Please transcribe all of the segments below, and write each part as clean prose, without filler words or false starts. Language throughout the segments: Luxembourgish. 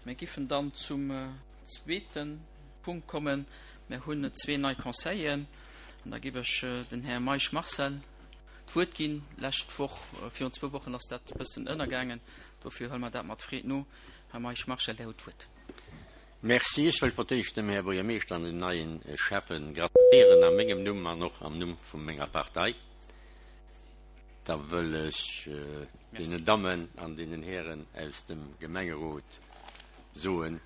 Mir giffen dann zum zweete Punkt kommen. Mir hunn zwee nei Conseilleren an da giff ech den Här Meisch Marcel d'Wuert ginn. Lescht Woch, virun zwou Wochen ass dat e bëssen ënnergaangen, dofir huele mer dat mat Freed no. Här Meisch Marcel, Där hutt d'Wuert. Merci. Ech wëll fir d'éischt dem Här Buergermeeschter an den neie Schäffe gratuléieren a mengem Numm an och am Numm vu menger Partei. Da wëll ech deenen Dammen an deenen Hären aus dem Gemengerot soen,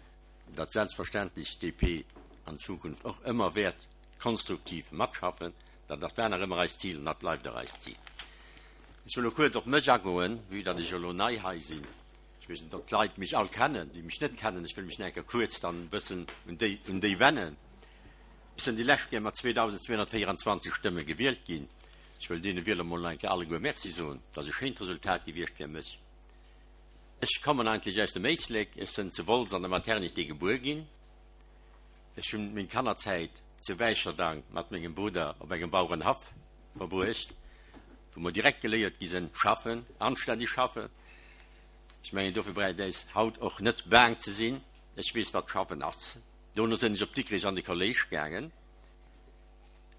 datt selbstverständlech d'DP an Zukunft och ëmmer wäert konstruktiv matschaffen. Dat dat war nach ëmmer eist Zil an dat bleift och eist Zil. Ech wëll elo kuerz op mech agoen, vue datt ech elo nei hei sinn. Ech weess net, ob d'Leit mech all kennen, déi mech net kennen. Ech wëll mech nach eng Kéier kuerz dann e bëssen un déi, un déi wennen. Ech sinn déi lescht Kéier mat 2.224 Stëmme gewielt ginn. Ech wëll deene Wieler mol nach eng Kéier alleguer Merci soen. Dat ass e schéint Resultat gewiescht fir mech. Ech kommen eigentlech aus dem Éislek. Ech sënn zu Wolz an der Maternité gebuer ginn. Ech hunn meng Kannerzäit zu Wäicherdang mat mengem Brudder op engem Bauerenhaff verbruecht, wou mer direkt geléiert gi sënn, schaffen, anstänneg schaffen. Ech mengen, dofir braucht äis haut och net baang ze sinn. Ech weess, wat schaffen ass. Dono sënn ech op Dikrich an de Kolléisch gaangen.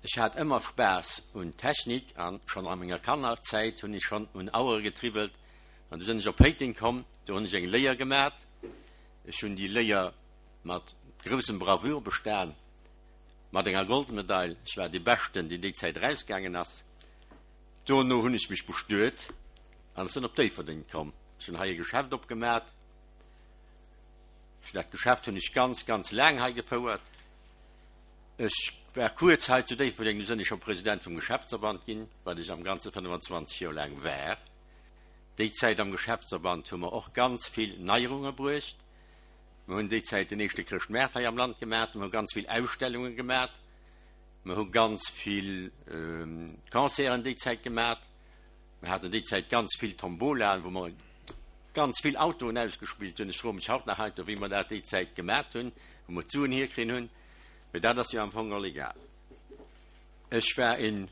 Ech hat ëmmer Spaass un Technik an schonn a menger Kannerzäit hunn ech schonn un Auere getriwwelt. An du sënn ech op Péiteng komm, do hunn ech eng Léier gemat. Ech hunn déi Léier mat groussem Bravour bestan, mat enger Goldmedail. Ech war dee Beschten, deen déi Zäit erausgaangen ass. Dono hunn ech mech bestuet an ech sënn op Déifferdeng komm. Ech hunn hei e Geschäft opgemat. Dat Geschäft hunn ech ganz, ganz laang hei gefouert. Ech war kuerz hei zu Déifferdeng, du sënn ech scho President vum Geschäftsverband ginn, wat ech am Ganze 25 Joer laang war. Déi Zäit am Geschäftsverband hu mer och ganz vill Neierunge bruecht. Mer hunn déi Zäit den éischte Chrëschtmaart hei am Land gemat, mer hu ganz vill Ausstellunge gemat, mer hu ganz vill Concerten déi Zäit gemat, mer haten déi Zäit ganz vill Tombolaen, wou mer ganz vill Autoen ausgespillt hunn. Ech froe mech haut nach heiansdo, wéi mer dat déi Zäit gemat hunn, wou mer d'Suen hierkritt hunn. Mee dat ass jo am Fong all egal. Ech war e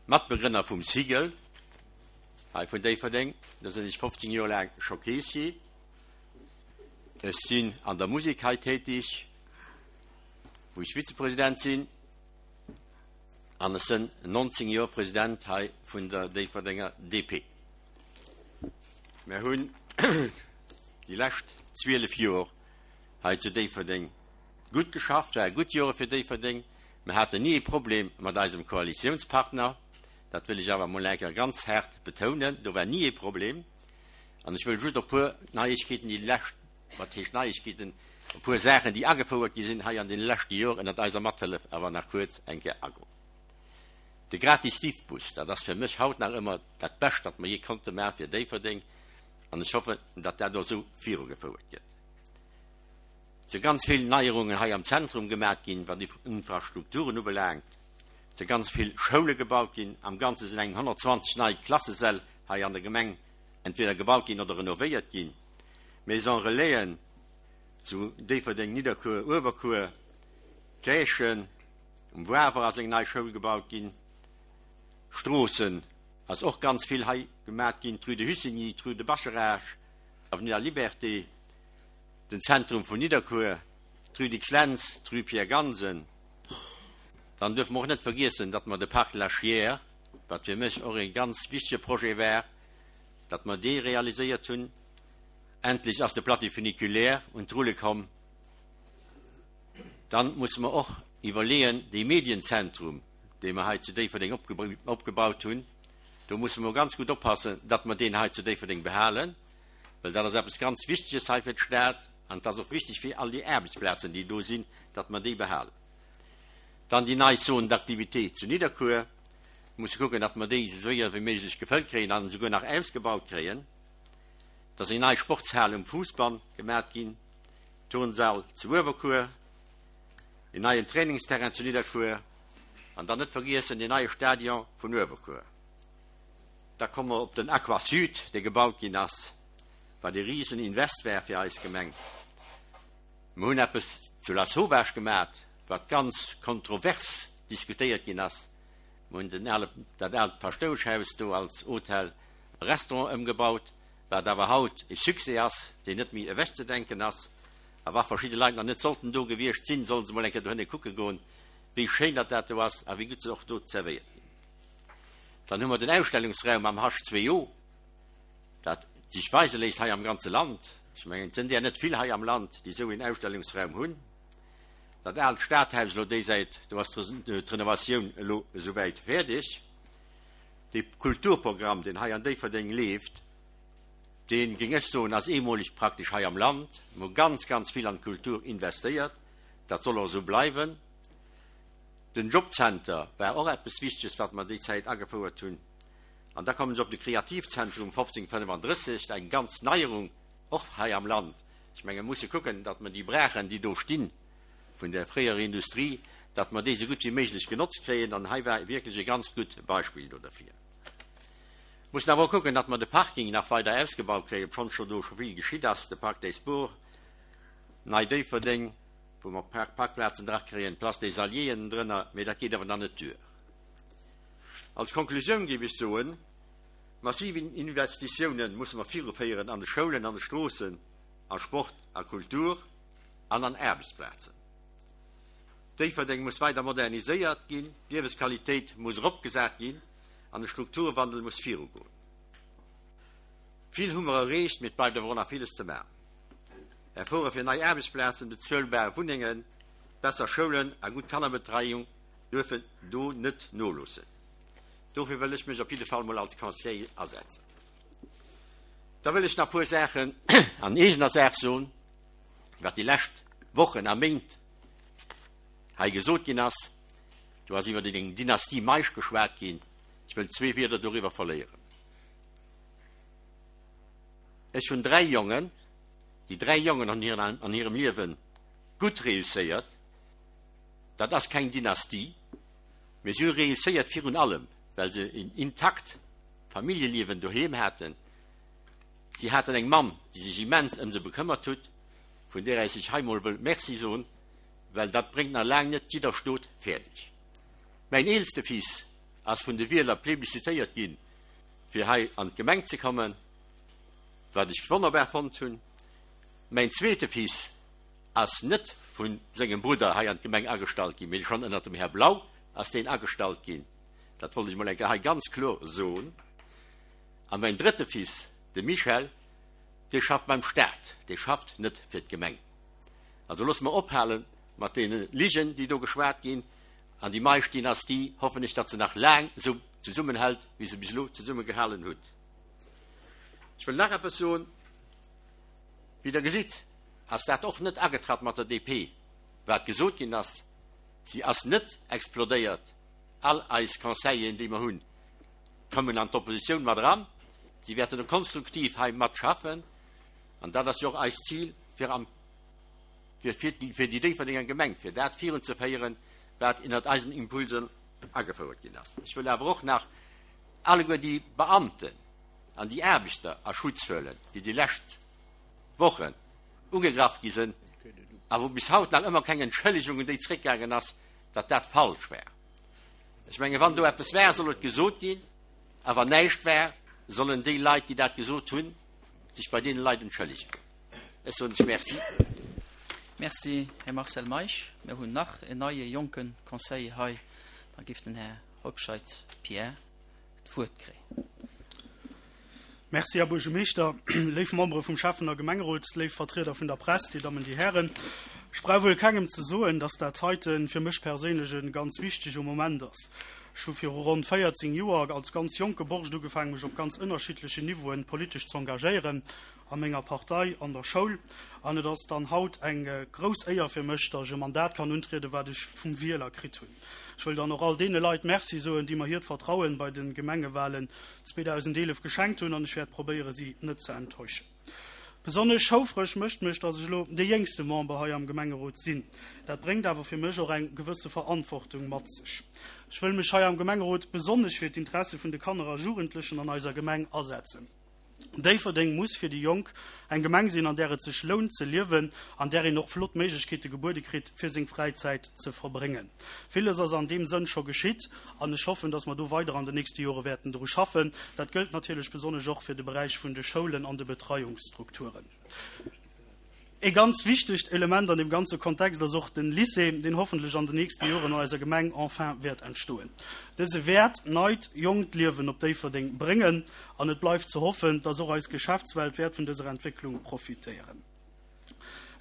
Matbegrënner vum SIGEL hei vun Déifferdeng. Do sinn ech 15 Joer laang scho Keessier. Ech sinn an der Musek hei tätig, wou ech Vizepresident sinn. An ech sinn 19 Joer President hei vun der Déifferdenger DP. Mir hunn déi lescht 12 Joer hei zu Déifferdeng gutt geschafft, ware gutt Jore fir Déifferdeng. Mir haten ni ee Problem mat eisem Koalitiounspartner, dat wëll ech awer emol eng Kéier ganz haart betounen, do war ni ee Problem. An ech wëll just op e puer Neiegkeeten, déi lescht, wat heescht Neiegkeeten, e puer Saachen, déi agefouert gi sinn hei an deene leschte Joer ënnert eiser Mathëllef, awer nach kuerz eng Kéier agoen. De gratis Diffbus, dat ass fir mech haut nach ëmmer dat Bescht, wat mer jee konnte maache fir Déifferdeng, an ech hoffen, datt dat och esou virugefouert gëtt. Et si ganz vill Neierungen hei am Zentrum gemat ginn, wat Infrastrukturen ubelaangt. Et si ganz vill Schoule gebaut ginn. Am Ganze sinn eng 120 nei Klassesäll hei an der Gemeng entweder gebaut ginn oder renovéiert ginn. Maison Relaisen zu Déifferdeng, Nidderkuer, Uewerkuer, Crèchen, um Wawer ass eng nei Schoul gebaut ginn. Stroossen ass och ganz vill hei gemat ginn, d'Rue de Hussigny, d'Rue de Bascharage, Avenue de la Liberté. den Zentrum vun Nidderkuer, d'Rue Dicks-Lentz, d'Rue Pierre Gansen. Dann duerfe mer och net vergiessen, datt mer de Parc de la Chiers, wat fir mech och e ganz wichtige Projet war, datt mer dee realiséiert hunn. Endlech ass de Plateau funiculaire un d'Rulle komm. Dann musse mer och iwwerleeën, dee Medienzentrum, dee mer hei zu Déifferdeng opgebaut hunn, do musse mer ganz gutt oppassen, datt mer deen hei zu Déifferdeng behalen. well dat ass eppes ganz Wichteges hei fir d'Stad an et ass och wichteg fir all déi Aarbechtsplazen, déi do sinn, datt mer déi behalen. Dann déi nei Zone d'activité zu Nidderkuer. Mir musse kucken, datt mer déi esou séier wéi méiglech gefëllt kréien an esouguer nach ausgebaut kréien. Et ass eng nei Sportshal um Fousbann gemat ginn, Turnsall zu Uewerkuer, en neien Trainingsterrain zu Nidderkuer an dann net vergiessen deen neie Stadion vun Uewerkuer. Da komme mer op den Aquasud, dee gebaut ginn ass, wat e risen Invest war fir eis Gemeng. Mer hunn eppes zu Lasauvage gemat, wat ganz kontrovers diskutéiert ginn ass. Mer hunn den ale, dat aalt Paschtoueschhaus do als Hotel a Restaurant ëmgebaut, wat awer haut e Succès ass, deen net méi ewechzedenken ass. A wa verschidde Leit nach net sollten do gewiescht sinn, sollen se mol eng Kéier dohinne kucke goen, wéi schéin datt dat do ass a wéi gutt se och do zerwéiert ginn. Dann hu mer den Ausstellungsraum am H2O, dat sech weise léisst hei am ganze Land. Ech mengen, et sinn där net vill hei am Land, déi esou een Ausstellungsraum hunn. Dat aalt Stadhaus elo déisäit, do ass d'Renovatioun elo esouwäit fäerdeg. Dee Kulturprogramm, deen hei an Déifferdeng leeft, deen, géing ech soen, ass eemoleg praktesch hei am Land. Mir hu ganz, ganz vill an d'Kultur investéiert. Dat soll och esou bleiwen. Den Jobcenter war och eppes Wichteges, wat mer déi Zäit agefouert hunn. An da kommen ech op de Kreativzentrum 1535, eng ganz Neierung och hei am Land. Ech menge mir musse kucken, datt mer déi Braachen, déi do stinn, vun der fréierer Industrie, datt mer déi esou gutt wéi méiglech genotzt kréien. An hei war wierklech e ganz gutt Beispill do derfir. Mussen awer och kucken, datt mer de Parking nach weider ausgebaut kréien, obschonns scho do scho vill geschitt ass, de Parc des Sports, Nei Déifferdeng, wou mer Parkplazen drakréien, d'Place des Alliés ënnendrënner, mee dat geet awer nach net duer. Als Konklusioun géif ech soen, Massiv Investitiounen musse mer viruféieren an de Schoulen, an de Stroossen, a Sport a Kultur an an Aarbechtsplazen. Déifferdeng muss weider moderniséiert ginn, d'Liewesqualitéit muss eropgesat ginn an de Strukturwandel muss virugoen. Vill hu mer erreecht, mee et bleift awer och nach villes ze maachen. Efforte fir nei Aarbechtsplazen, bezuelbar Wunnengen, besser Schoulen a gutt Kannerbetreiung duerfen do net noloossen. Dofir wëll ech mech op jidde Fall mol als Conseiller asetzen. Da wëll ech nach e puer Saachen an eegener Saach soen, wat déi lescht Wochen a Méint hei gesot ginn ass. Do ass iwwer eng Dynastie Meisch geschwat ginn. Ech wëll zwee Wierder doriwwer verléieren. Ech hunn dräi Jongen. Déi dräi Jongen hunn an hirem Liewe gutt reusséiert. Dat ass keng Dynastie, mee si hu reusséiert virun allem, well se en intakt Familljeliewen doheem haten. Si haten eng Mamm, déi sech immens ëm se bekëmmert hutt, vun där ech sech hei mol wëll Merci soen, well dat bréngt nach laang net jidder Stot fäerdeg. Mäin eelste Fils ass vun de Wieler plebiszitéiert ginn, fir hei an d'Gemeng ze kommen, wat ech wonnerbar fonnt hunn. Mäin zweete Fils ass net vu sengem Brudder hei an d'Gemeng agestallt ginn, mee schonn ënnert dem Här Blau ass deen agestallt ginn. Dat wollt ech mol eng Kéier hei ganz kloer soen. A mäin drëtte Fils, de Michel, dee schafft beim Staat, dee schafft net fir d'Gemeng. Also loosse mer ophale mat deene Ligen, déi do geschwat ginn. An déi Meisch-Dynastie hoffen ech, datt se nach laang esou zesummenhält, wéi se bis elo zesummegehalen hutt. Ech wëll nach eppes soen. Wéi Der gesitt, ass dat och net agetratt mat der DP, wat gesot ginn ass. Si ass net explodéiert. All eis Conseilleren, déi mer hunn, kommen an d'Oppositioun mat eran. Si wäerten och konstruktiv hei matschaffen. An dat ass jo och eist Zil, fir am, fir, fir déi Déifferdenger Gemeng, fir dat virunzeféieren, wat ënnert eisen Impulsen agefouert ginn ass. Ech wëll awer och nach alleguer déi Beamten an déi Aarbechter a Schutz huelen, déi déi lescht Wochen ugegraff gi sinn a wou bis haut nach ëmmer keng Entschëllegung un déi zréckgaangen ass, datt dat falsch war. Ech menge wann do eppes war, soll et gesot ginn, a wann näischt war, sollen déi Leit, déi dat gesot hunn, sech bei deene Leit entschëllegen. Ech soen lech Merci. Merci, Här Marcel Meisch. Mir hunn nach en neie jonke Conseiller hei. Da géif den Här Hobscheit Pierre d'Wuert kréien. Merci, Här Buergermeeschter, léif Membere vum Schäffen a Gemengerot, léif Vertrieder vun der Press, Dir Dammen, Dir Hären. Ech brauch wuel kengem ze soen, dass dat heite fir mech perséinlech e ganz wichtege Moment ass. Ech hu viru ronn 14 Joer als ganz jonke Borscht ugefaangen, mech op ganz ënnerschiddlechen Niveauen politesch ze engagéieren, a menger Partei, an der Schoul. An et ass dann haut eng grouss Éier fir mech, dass ech e Mandat kann untrieden, wat ech vum Wieler kritt hunn. Ech wëll dann och all deene Leit Merci soen, déi mer hiert Vertrauen bei de Gemengewahlen 2011 geschenkt hunn, an ech wäert probéieren, si net ze enttäuschen. Besonnesch houfreg mécht mech, dass ech elo dee jéngste Member hei am Gemengerot sinn. Dat bréngt awer fir mech och eng gewësse Verantwortung mat sech. Ech wëll mech hei am Gemengerot besonnesch fir d'Interesse vun de Kanner a Jugendlechen an eiser Gemeng asetzen. Déifferdeng muss fir déi Jonk eng Gemeng sinn, an där et sech lount ze liewen, an där een och flott Méiglechkeete gebuede kritt, fir seng Fräizäit ze verbréngen. Villes ass an deem Sënn scho geschitt an ech hoffen, dass mer do weider an den nächste Jore wäerten dru schaffen. Dat gëllt natierlech besonnesch och fir de Beräich vun de Schoulen an de Betreiungsstrukturen. E ganz wichtegt Element an deem ganze Kontext ass och den Lycée, deen hoffentlech an den nächste Joren an eiser Gemeng enfin wäert entstoen. Dëse wäert neit, jonkt Liewen op Déifferdeng bréngen an et bleift ze hoffen, dass och eis Geschäftswelt wäert vun dëser Entwécklung profitéieren.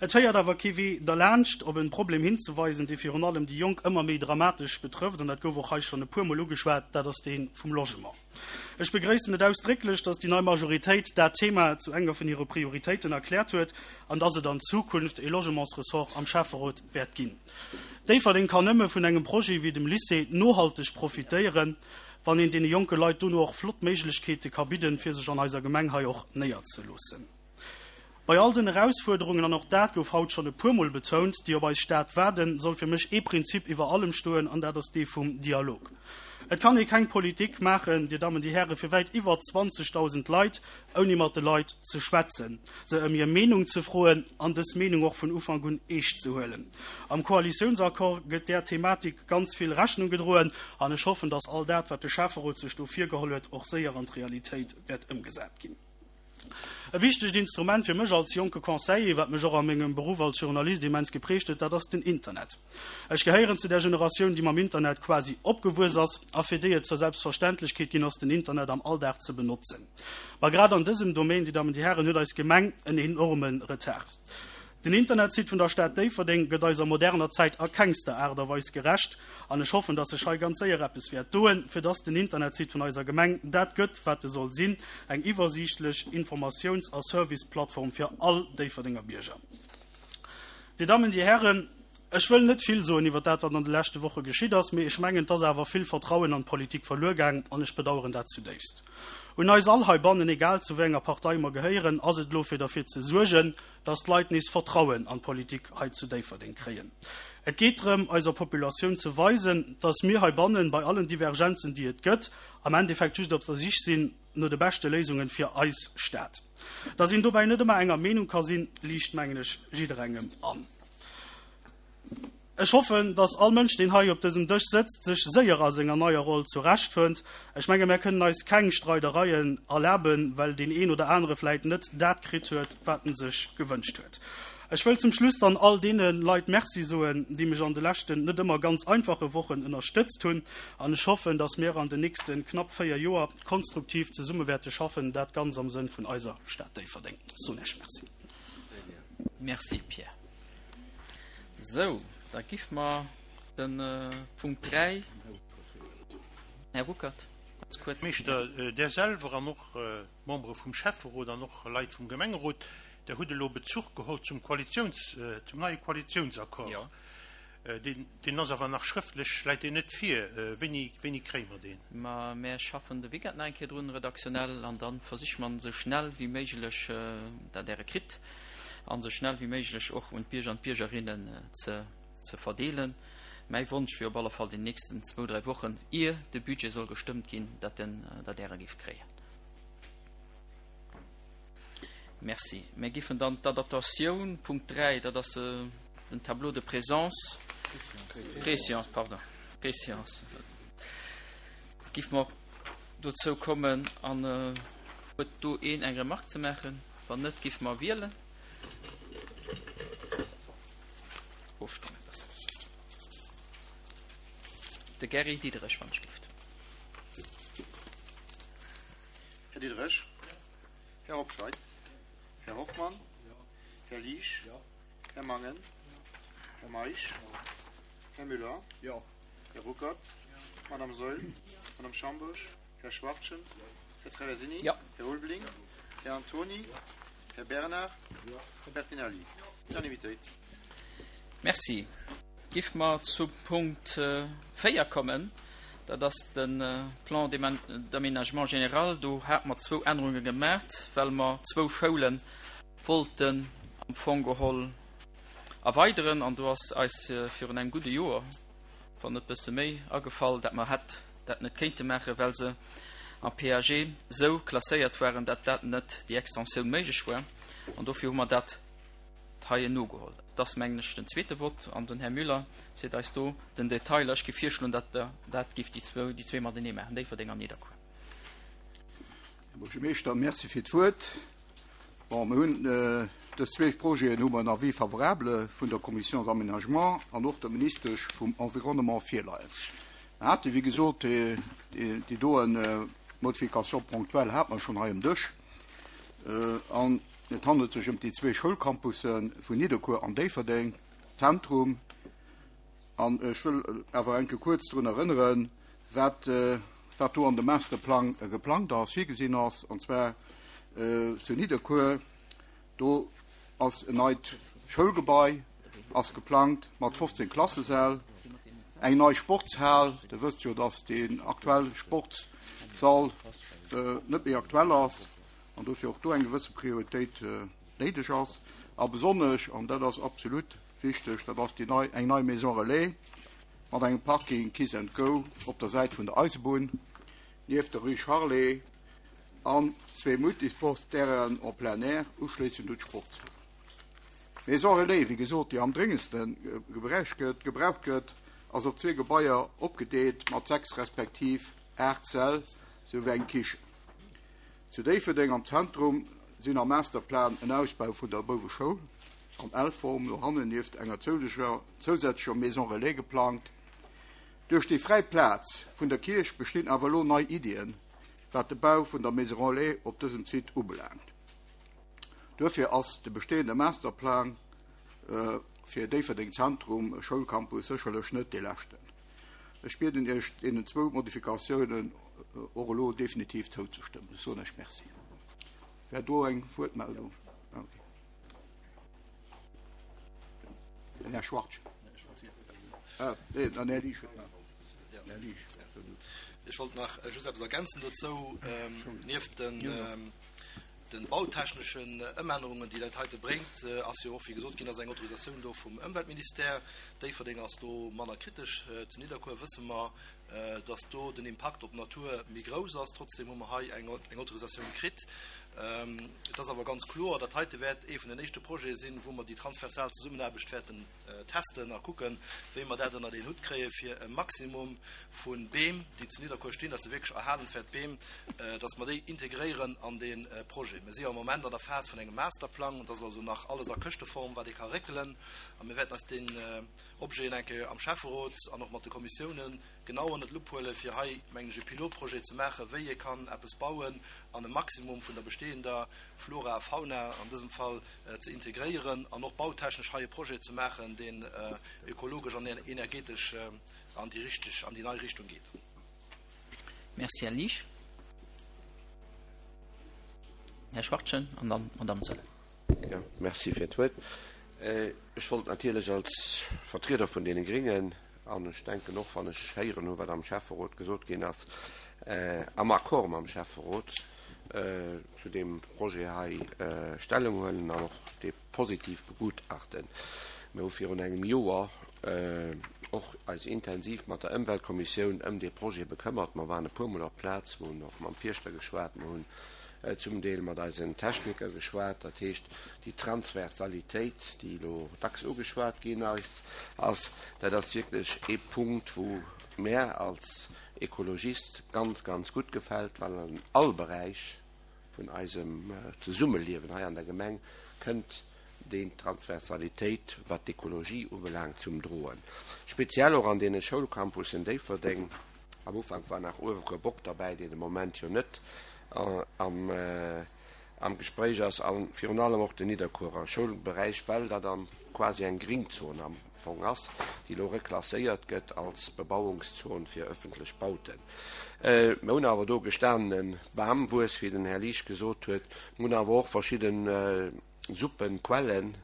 Et féiert awer kee Wee derlaanscht, op e Problem hinzeweisen, dee virun allem déi Jonk ëmmer méi dramatesch betrëfft, an dat gouf och hei schonn e puermol ugeschwat, dat ass dee vum Logement. Ech begréissen et ausdrécklech, dass déi nei Majoritéit dat Thema zu enger vun hire Prioritéiten erkläert huet an dass et an Zukunft e Logementsressort am Schäfferot wäert ginn. Déifferdeng kann nëmme vun engem Projet wéi dem Lycée nohalteg profitéieren, wann een deene jonke Leit dono och flott Méiglechkeete ka bidden, fir sech an eiser Gemeng hei och néierzeloossen. Bei all den Erausfuerderungen, an och dat gouf haut schonn e puermol betount, déi op eis Stad waarden, soll fir mech ee Prinzip iwwer allem stoen, an dat ass dee vum Dialog. Et kann ee keng Politik maachen, Dir Dammen, Dir Hären, fir wäit iwwer 20.000 Leit, ouni mat de Leit ze schwätzen, se ëm hir Meenung ze froen an dës Meenung och vun Ufank un eescht ze huelen. Am Koalitiounsaccord gëtt där Thematik ganz vill Rechnung gedroen, an ech hoffen, dass all dat, wat de Schäfferot sech do virgeholl huet, och séier an d'Realitéit wäert ëmgesat ginn. E wichtegt Instrument fir mech als jonke Conseiller, wat mech och a mengem Beruff als Journalist immens geprägt huet, dat ass den Internet. Ech gehéieren zu där Generatioun, déi mam Internet quasi opgewuess ass a fir déi et zur Selbstverständlechkeet ginn ass, den Internet am Alldag ze benotzen. Ma grad an dësem Domaine, Dir Dammen, Dir Hären, huet eis Gemeng en enorme Retard. Den Internetsite vun der Stad Déifferdeng gëtt eiser moderner Zäit a kengster Aart a Weis gerecht an ech hoffen, dass sech hei ganz séier eppes wäert doen, fir dass den Internetsite vun eiser Gemeng dat gëtt, wat e soll sinn, eng iwwersiichtlech Informatiouns a Serviceplattform fir all Déifferdenger Bierger. Dir Dammen, Dir Hären, ech wëll net vill soen iwwer dat, wat an de leschte Woche geschitt ass, mee ech mengen, et ass awer vill Vertrauen an d'Politik verluer gaang an ech bedauern dat zudéifst. Un eis all heibannen, egal zu wéi enger Partei mer gehéieren, ass et elo fir derfir ze suergen, dass d'Leit nees Vertrauen an d'Politik hei zu Déifferdeng kréien. Et geet drëm, eiser Populatioun ze weisen, dass mir heibannen, bei allen Divergenzen, déi et gëtt, am Endeffekt just op der Sich sinn no de beschte Léisungen fir eis Stad. Dass een dobäi net ëmmer enger Meenung ka sinn, liicht, mengen ech, jidderengem an. Ech hoffen, dass all Mënsch, deen hei op dësem Dësch sëtzt, sech séier a senger neier Roll zurechtfënnt. Ech menge mär kënnen eis keng Streidereien erlaben, well deen een oder anere vläit net dat kritt huet, wat en sech gewënscht huet. Ech wëll zum Schluss dann all deene Leit Merci soen, déi mech an de leschten net ëmmer ganz einfache Wochen ënnerstëtzt hunn. An ech hoffen, dass mir an den nächste knapp 4 Joer konstruktiv zesumme wäerte schaffen, dat ganz am Sënn vun eiser Stad Déifferdeng. Ech soen Iech Merci. Merci Pierre. Sou, da giff mer den Punkt 3, Här Ruckert, ganz kuerz. Meeschter, Der selwer an och d'Membere vum Schäfferot an och Leit vum Gemengerot, Der hutt elo Bezuch geholl zum Koalitions, zum neie Koalitionsaccord. Jo. Deen, deen ass awer nach schrëftlech, läit deen net vir. Wéini, wéini kréie mer deen? Ma mär schaffen de Weekend nach eng Kéier drun, redaktionell, an da versiche mer esou schnell wéi méiglech, dat Der e kritt, an esou schnell wéi méiglech och un d'Bierger an d'Biergerinnen ze, ze verdeelen. Mäi Wonsch wier op alle Fall, den nächsten zwou, dräi Wochen, ier de Budget soll gestëmmt ginn, dat den, dat Der e géift kréien. Merci. Mir giffen dann d'Adaptatioun, Punkt 3, dat ass den Tableau de présence, Préséance, pardon, Préséance, giff mer dozou kommen. An huet do een eng Remarque ze maachen? Wann net, giff mer wielen. Ofstëmmen, besser gesot. De Gary Diderich, wann ech gift. Här Diderich. Här Hobscheit. Här Hoffmann. Här Liesch. Här Mangen. Här Meisch. Här Müller. Här Ruckert. Madame Saeul. Madame Schambourg. Här Schwachtgen. Här Traversini. Här Ulveling. Här Antony. Här Bernard. Här Bertinelli. Unanimitéit. Merci. Giff mer zum Punkt 4 kommen, dat ass de Plan d'aménagement général. Do hate mer zwou Ännerunge gemaacht, well mer zwou Schoule wollten am Fong geholl erweideren. An do ass eis virun engem gudde Joer, wann net bësse méi, agefall, dat mer hätt dat net kéinte maachen, well se am PAG esou klasséiert waren, dat dat net déi Extensioun méiglech war. An dofir hu mer dat hei nogeholl. Et ass, mengen ech, den zweete Vott, an den Här Müller seet eis do den Detail. Ech géif virschloen, datt Der dat géift déi zwou, déi zwee matenee maachen, Déifferdeng an Nidderkuer. Här Buergermeeschter, Merci fir d'Wuert. Bon, mir hunn. Dës zwee Projeten hu mer en Avis favorable vun der Commission d'aménagement an och der Ministesch vum Environnement virleien. Mer hate wéi gesot déi doen Modification ponctuelle hate mer schonn hei um Dësch. An et handelt sech ëm déi zwee Schoulcampusse vun Nidderkuer an Déifferdeng Zentrum. An ech wëll awer eng Kéier kuerz drun erënneren, wat, wat do an dem Masterplang geplangt ass, virgesinn ass, an zwar zu Nidderkuer, do ass en neit Schoulgebai ass geplangt mat 15 Klassesäll, eng nei Sportshal, Der wësst jo, dass deen aktuelle Sportssall net méi aktuell ass an dofir och do eng gewësse Prioritéit néideg ass. A besonnesch, an dat ass absolut wichteg, dat ass déi nei, eng nei Maison relais mat engem Parking Kiss and Go op der Säit vun der Eisebunn, nieft der Rue Charlet, an zwee Multisportsterrainen en plein air, uschléissend un d'Sportshal. D'Maison relais, wéi gesot, déi am dréngendste gëtt, gebraucht gëtt, ass op zwee Gebaier opgedeelt mat 6 respektiv 8 Säll souwéi eng Kichen. Zu Déifferdeng am Zentrum sinn am Masterplan en Ausbau vun der Bouweschoul an L-Form no hannen nieft enger zousätzlecher Maison relais geplangt. Duerch déi fräi Plaz vun der Kierch bestinn awer elo nei Iddien, wat de Bau vun der Maison relais op dësem Site ubelaangt. Duerfir ass de bestehende Masterplan fir Déifferdeng Zentrum Schoulcampus sécherlech net dee leschten. Ech bieden Iech, deenen zwou Modifikatiounen och elo definitiv zouzestëmmen. Ech soen Iech Merci. Wär do eng Wuertmeldung? Okay. Den Här Schwartz. Ah, nee, den Här Liesch huet nach. Här Liesch. Ech wollt nach just eppes ergänzen dozou. Nieft den De bautechneschen Ëmännerungen, déi dat heite bréngt, ass jo och, wéi gesot ginn ass, eng Autorisatioun do vum Ëmweltministère. Déifferdeng ass do manner kritesch. Zu Nidderkuer wësse mer, dass do den Impakt op d'Natur méi grouss ass. Trotzdem hu mer hei eng Autorisatioun kritt. Et ass awer ganz kloer, dat heite wäert ee vun den éischte Projete sinn, wou mer déi transversal Zesummenaarbecht wäerten testen a kucken, wéi mer dat ënnert een Hutt kréie fir e Maximum vu Beem, déi zu Nidderkuer stinn, dat si wierklech erhalenswäert Beem, dass mer déi integréieren an dee Projet. Mir si jo am Moment an der Phas vun engem Masterplang, et ass also nach alles a Këschteform, wat ee ka réckelen, a mir wäerten eis deen Objet eng Kéier am Schäfferot an och mat de Kommissiounen genau ënnert d'Lupp huelen, fir hei, mengen ech, e Pilotprojet ze maachen, wéi ee kann eppes bauen an e Maximum vun der bestehender Flora a Fauna an dësem Fall ze integréieren an och bautechnesch hei e Projet ze maachen, deen ökologesch an energetesch an déi richteg, an déi nei Richtung geet. Merci, Här Liesch. Här Schwachtgen an dann d'Madame Zöller. Jo, merci fir d'Wuert. Ech wollt natierlech als Vertrieder vun deene Gringen, an ech denken och, wann ech héieren hu wat am Schäfferot gesot ginn ass, am Accord mam Schäfferot zu deem Projet hei Stellung huelen an och dee positiv begutachten. Mir hu virun engem Joer och eis intensiv mat der Ëmweltkommissioun ëm dee Projet bekëmmert. Mer waren e puermol op d'Plaz, mer hunn och mam Fierschter geschwat, mer hunn zum Deel mat eisen Techniker geschwat. Dat heescht, déi Transversalitéit, déi elo dacks ugeschwat ginn ass, dat ass wierklech ee Punkt, wou mär als Ekologist ganz, ganz gutt gefält, well an all Beräich vun eisem Zesummeliewen hei an der Gemeng kënnt déi Transversalitéit, wat d'Ekologie ubelaangt, zum Droen. Speziell och an deene Schoulcampussen Déifferdeng. Am Ufank war nach Uewerer Bock derbäi, deen de Moment jo net am am Gespréich ass, a virun allem och den Nidderkuerer Schoulberäich, well dat an quasi eng Gringzon am Fong ass, déi elo reklasséiert gëtt als Bebauungszon fir ëffentlech Bauten. Mir hunn awer do gestanene Bamwuess, wéi den Här Liesch gesot huet. Mir hunn awer och verschidde Suppenquellen,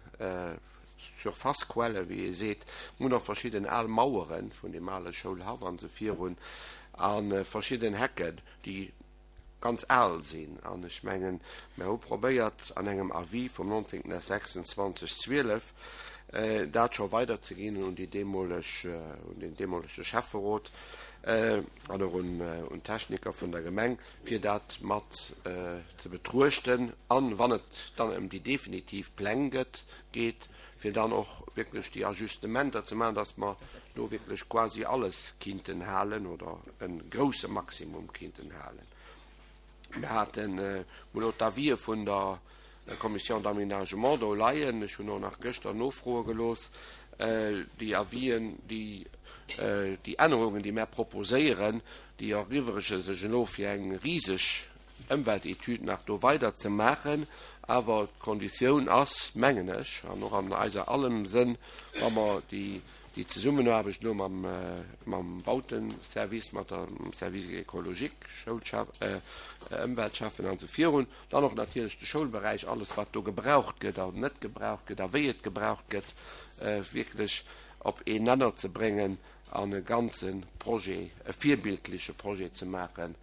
Surfacequellen, wéi ee seet. Mir hunn och verschidden al Mauere vun deem ale Schoulhaff an esou virun a verschidden Hecken, déi ganz al sinn. An ech mengen, mer hu probéiert an engem Avis vum 19. 26 12 dat scho weiderzeginn un déi deemoleg, un deen deemolege Schäfferot an och un d'Techniker vun der Gemeng, fir dat mat ze betruechten an, wann et dann ëm déi definitiv Pläng gëtt, geet, fir dann och wierklech déi Ajustementer ze maachen, dass mer do wierklech quasi alles kinnten halen oder e grouse Maximum kinnten halen. Mir haten elo d'Avisë vun der. Commission d'aménagement do leien. Ech hunn och nach gëschter nofroe gelooss. Déi Avisen, déi, déi Ännerungen, déi mär proposéieren, déi eriwwerege sech elo fir eng riseg Ëmweltetüd nach do weider ze maachen. Awer d'Konditioun ass, mengen ech, an och an eiser allem Sënn, wa mer déi, déi Zesummenaarbecht elo mam, mam Bauteservice, mat der, mam Service écologique, Schoulschef, Ëmweltschäffen an esou virun, Dann och natierlech de Schoulberäich, alles wat do gebraucht gëtt an net gebraucht gëtt a wéi et gebraucht gëtt, wierklech op een Nenner ze bréngen an e ganze Projet, e virbildleche Projet ze maachen,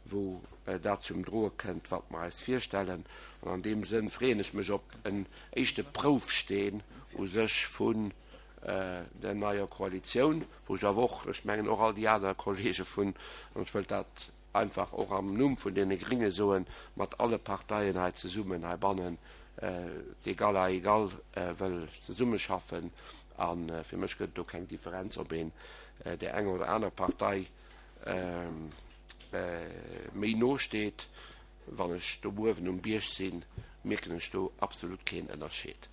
wou dat zum Droe kënnt, wat mer eis virstellen. An an deem Sënn freeën ech mech op en éischte Proufsteen u sech vun der neier Koalitioun, wou ech awer och, ech mengen och all déi aner Kollege vun, an ech wëllt dat einfach och am Numm vun deene Gringe soen, mat alle Parteien hei zesummen heibannen d'égal à égal wëll zesummeschaffen. A fir mech gëtt et do keng Differenz, ob een där enger oder aner Partei méi no steet. Wann ech do uewen um Bierg sinn, mierken ech do absolut keen Ënnerscheed.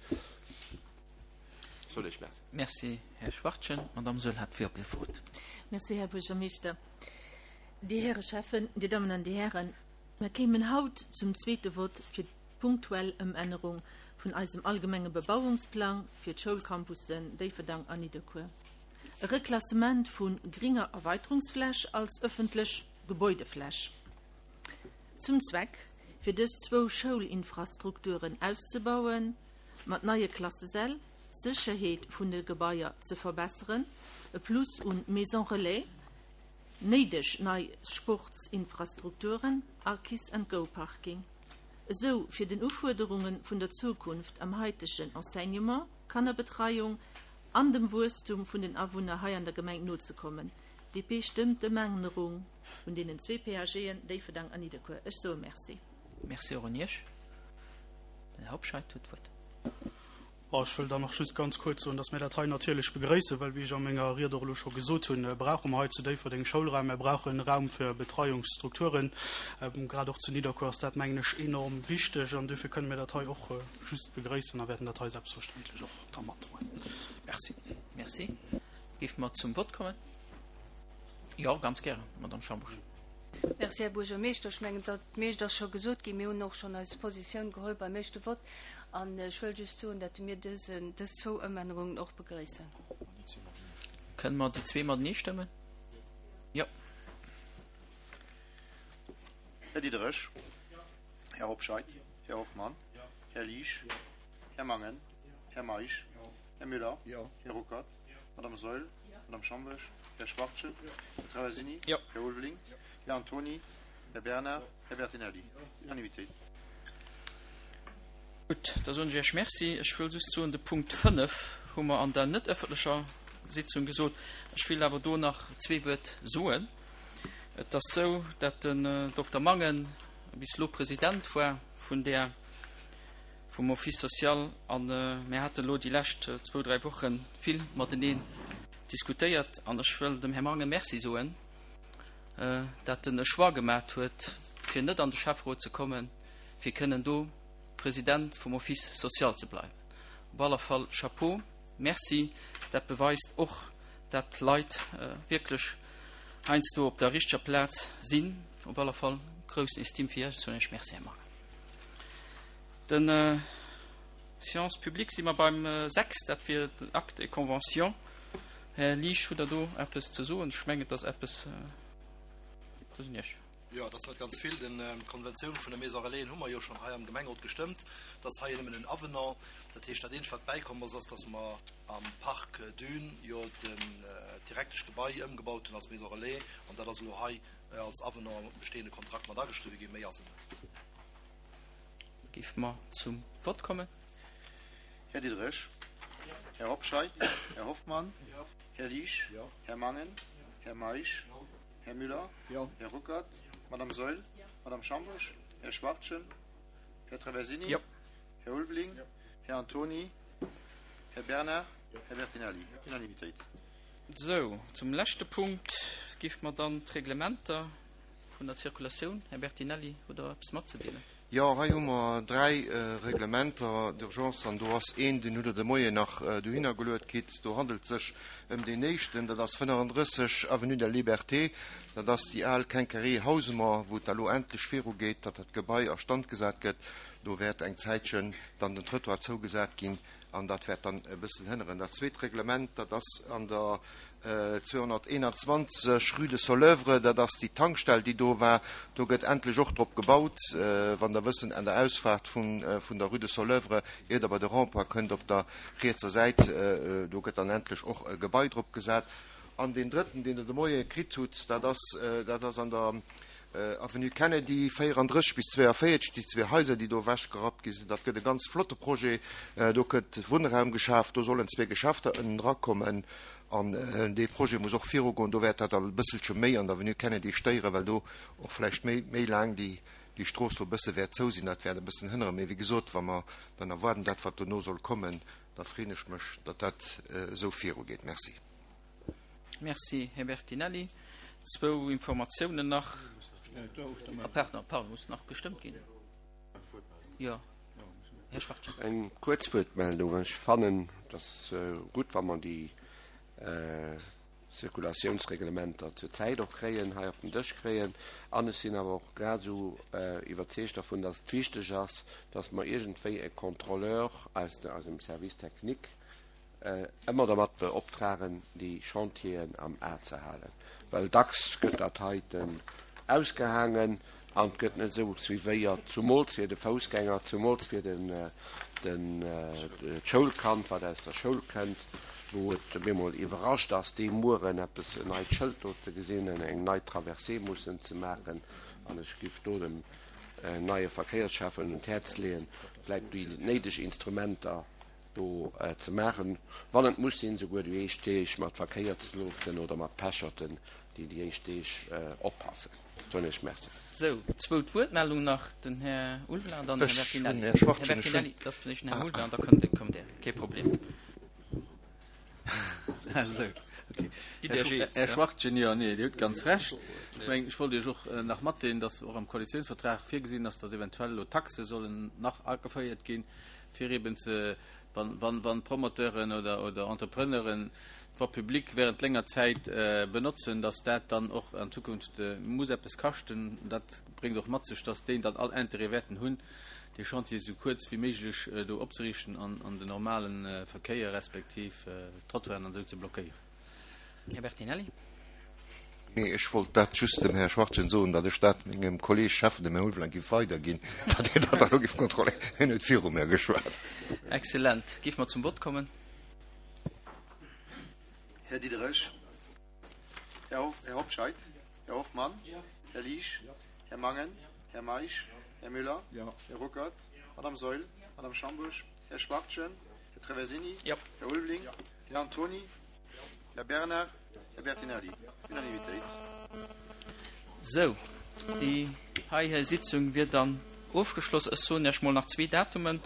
Soll ech Merci. Merci, Här Schwachtgen. D'Madame Saeul hat d'Wuert gefrot. Merci, Här Buergermeeschter. Dir Häre Schäffen, Dir Dammen an Dir Hären, mer kéimen haut zum zweete Vott fir d'punktuell Ëmännerung vun eisem allgemenge Bebauungsplang fir d'Schoulcampussen Déifferdang an Nidderkuer. E Reklassement vu gringer Erweiterungsfläch als ëffentlech Gebäudefläch. Zum Zweck, fir dës zwou Schoulinfrastrukturen auszebauen, mat neie Klassesäll, d'Sécherheet vun de Gebaier ze verbesseren, e Plus un Maisons relais, Néideg nei Sportsinfrastrukturen a Kiss and Go Parking, esou fir den Ufuerderunge vun der Zukunft am haitegen Enseignement, Kannerbetreiung an dem Wuesstum vun den Awunner hei an der Gemeng nozekommen. DP stëmmt d'Ëmännerung vun deenen zwee PAGen, Déifferdang an Nidderkuer. Ech soe Merci. Merci och un Iech. Den Här Hobscheit huet d'Wuert. Bon, ech wëll dann och just ganz kuerz soen, dass mir dat hei natierlech begrëissen, well, wéi ech a menger Ried och elo scho gesot hunn, brauche mer hei zu Déifferdeng Schoulraim, mir brauche Raum fir Betreiungsstrukturen. Grad och zu Nidderkuer ass dat, mengen ech, enorm wichteg an duerfir kënne mir dat hei och just begrëissen a wäerten dat hei selbstverständlech och da matdroen. Merci. Merci. Géife mer zum Vott kommen? Jo, ganz gären, Madamm Schambusch. Merci, Här Buergermeeschter. Ech mengen, dat meescht ass scho gesot ginn. Mir hunn och schonn eis Positioun geholl beim éischte Vott. An ech wëll just soen, datt mir dësen, dës zwou Ëmännerungen och begrëissen. Kënne mer déi zwee matenee stëmmen? Jo. Här Diderich. Här Hobscheit. Här Hoffmann. Här Liesch. Här Mangen. Här Meisch. Här Müller. Här Ruckert. Madame Saeul. Madame Schambourg. Här Schwachtgen. Här Traversini. Här Ulveling. Här Antoni. Här Bernard. Här Bertinelli. Unanimitéit. Gutt, da soen ech Iech Merci. Ech wëll just soen, de Punkt 5 hu mer an der net ëffentlecher Sitzung gesot. Ech wéilt awer do nach zwee Wuert soen. Et ass esou, dat den Dokter Mangen bis elo President war vun där, vum Office social a mir haten elo déi lescht zwou, dräi Woche vill mateneen diskutéiert an ech wëll dem Här Mangen Merci soen, dat en e Choix gemat huet, fir net an de Schäfferot ze kommen, fir kënnen do President vum Office social ze bleiwen. Op alle Fall Chapeau, Merci, dat beweist och, dat d'Leit wierklech heiansdo op der richteger Plaz sinn. Op alle Fall groussen Estime fir Iech. Ech soen Iech Merci, Här Mangen. Den Séance publique si mer beim 6, dat wier den Acte et convention. Här Liesch, hutt Der do eppes ze soen? Ech mengen, et ass eppes, dat ass un Iech. Jo, et ass net ganz vill. D'Konventioun vun de Maison Relaisen hu mer jo schonn hei am Gemengerot gestëmmt. Et ass hei nëmmen en Avenant. Dat heescht, dat eenzegt, wat bäikomm ass, ass, datt mer am Parc Dune jo d'Direkteschgebai ëmgebaut hunn als Maison Relais. An dat ass elo hei als Avenant am bestehende Kontrakt mat ageschriwwen ginn. Méi ass et net. Géife mer zum Vott kommen. Här Diderich. Här Hobscheit. Här Hoffmann. Här Liesch. Här Mangen. Här Meisch. Här Müller. Här Ruckert. Madame Saeul. Madame Schambourg. Här Schwachtgen. Här Traversini. Här Ulveling. Här Antoni. Här Bernard. Här Bertinelli. Unanimitéit. Sou, zum leschte Punkt géife mer dann d'Reglementer vun der Zirkulatioun. Här Bertinelli, hutt Der eppes matzedeelen? Jo, hei hu mer 3 Reglementer d'urgence an do ass een, deen hutt Der de Moien nach dohinner geluet kritt. Do handelt et sech ëm deen éischten, dat ass 35 Avenue de la Liberté. Dat ass déi al Quincaillerie Hausemer, wou et da lo endlech virugeet, datt dat Gebai a Stand gesat gëtt. Do wäert eng Zäitchen dann den Trëttoir zougesat ginn an dat wäert dann e bëssen hënneren. Dat zweet Reglement, dat ass an der 221, rue de Soleuvre, dat ass déi Tankstell, déi do war. Do gëtt endlech och drop gebaut. Wann Der wëssen, an der Ausfaart vun der rue de Soleuvre, ier Der bei de Rond-point kënnt, op der rietser Säit, do gëtt dann endlech och e Gebai drop gesat. An deen drëtten, deen Der de Moie kritt hutt, dat ass, dat ass an der Avenue Kennedy 34 bis 42, déi zwee Haiser, déi do ewechgerappt gi sinn. Dat gëtt e ganz flotte Projet. Do gëtt Wunnraum geschaf, do sollen zwee Geschäfter ënnen erakommen. An dee Projet muss och virugoen. Do wäert dat e bësselche méi an der Avenue Kennedy stéieren, well do och vläicht méi, méi laang déi, déi Strooss do e bësse wäert zou sinn. Dat wäert e bëssen hënneren. Mee wéi gesot, wa mer dann erwaarden, dat wat dono soll kommen, da freeën ech mech, datt dat esou virugeet. Merci. Merci, Här Bertinelli. Zwou Informatiounen nach. Ah, pardon, pardon, muss nach gestëmmt ginn. Jo. Här Schwachtgen. Eng kuerz Wuertmeldung. Ech fannen, et ass gutt, wa mer déi Zirkulatiounsreglementer zur Zäit och kréien, hei op den Dësch kréien. An ech sinn awer och grad esou iwwerzeegt dervun, dass et wichteg ass, dass mer iergendwéi e Contrôleur aus eisem Service technique ëmmer dermat beoptragen, déi Chantieren am A ze halen, well dacks gëtt dat heiten ausgehaangen an et gëtt net esou suivéiert, zumools fir de Foussgänger, zumools fir den, den, d'Schoulkand, wat aus der Schoul kënnt, wou et op eemol iwwerrascht ass, dee Mueren eppes, en neit Schëld do ze gesinn an eng nei Traversée mussen ze maachen. An ech giff do dem neie Verkéiersschäffen un d'Häerz leeën, vläicht déi néideg Instrumenter do ze maachen, wann et muss sinn, souguer déi éischt Deeg mat Verkéierslotsen oder mat Pecherten, déi déi éischt Deeg oppassen. Soen Iech Merci. Sou, zwou Wuertmeldungen nach, den Här Ulveling an dann den Här Bertinelli. Här Bertinelli, et ass vläicht den Här Ulveling an da kommt Dir, kee Problem. Här Schwachtgen, jo, nee, Dir hutt ganz Recht. Ech mengen, ech wollt Iech och nach matdeelen, dass och am Koalitionsvertrag virgesinn ass, dass eventuell elo Taxe sollen nach ageféiert ginn, fir eben ze, wann, wann, wann Promoteuren oder, oder Entrepreneuren d'Voie publique während länger Zäit benotzen, dass dat dann och an Zukunft muss eppes kaschten. Dat bréngt och mat sech, dass déi dann all Intérêt wäerten hunn, dee Chantier esou kuerz wéi méiglech do opzeriichten an, an den normale Verkéier respektiv d'Trottoiren an esou ze blockéieren. Här Bertinelli. Nee, ech wollt dat just dem Här Schwachtgen soen, datt ech dat mengem Kolleeg Schäffen, dem Här Ulveling, giff weiderginn, datt hien dat elo giff kontrolléieren. Hien huet viru mir geschwat. Excellent. Géife mer zum Vott kommen? Här Diderich. Här Hoff, Här Hobscheit. Här Hoffmann. Här Liesch. Här Mangen. Här Meisch. Här Müller. Här Ruckert. Madame Saeul. Madame Schambourg. Här Schwachtgen. Här Traversini. Här Ulveling. Här Antony. Här Bernard, Här Bertinelli. Unanimitéit. Sou, déi hei Sitzung wier dann ofgeschloss. Ech soen Iech mol nach zwee Datumen.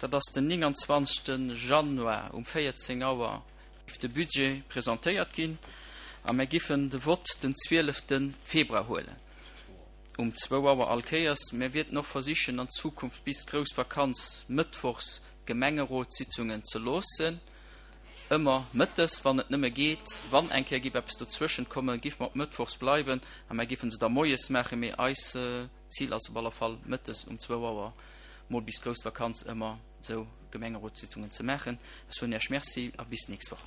Dat ass den 29. Januar um 14 Auer géif de Budget presentéiert ginn a mir giffen de Vott den 12. Februar huelen um zwou Auer all Kéiers. Mir wierten och versichen an Zukunft bis d'grouss Vakanz mëttwochs d'Gemengerotssitzungen ze loossen. Ëmmer mëttes, wann et nëmme geet. Wann eng Kéier giff eppes dozwëschent kommen, giff mer op mëttwochs bleiwen a mer giffen se da moies maachen. Mee eis Zil ass op alle Fall mëttes um zwou Auer mol bis grouss Vakanz ëmmer esou Gemengerotssitzungen ze maachen. Ech soen Iech Merci a bis d'nächst Woch.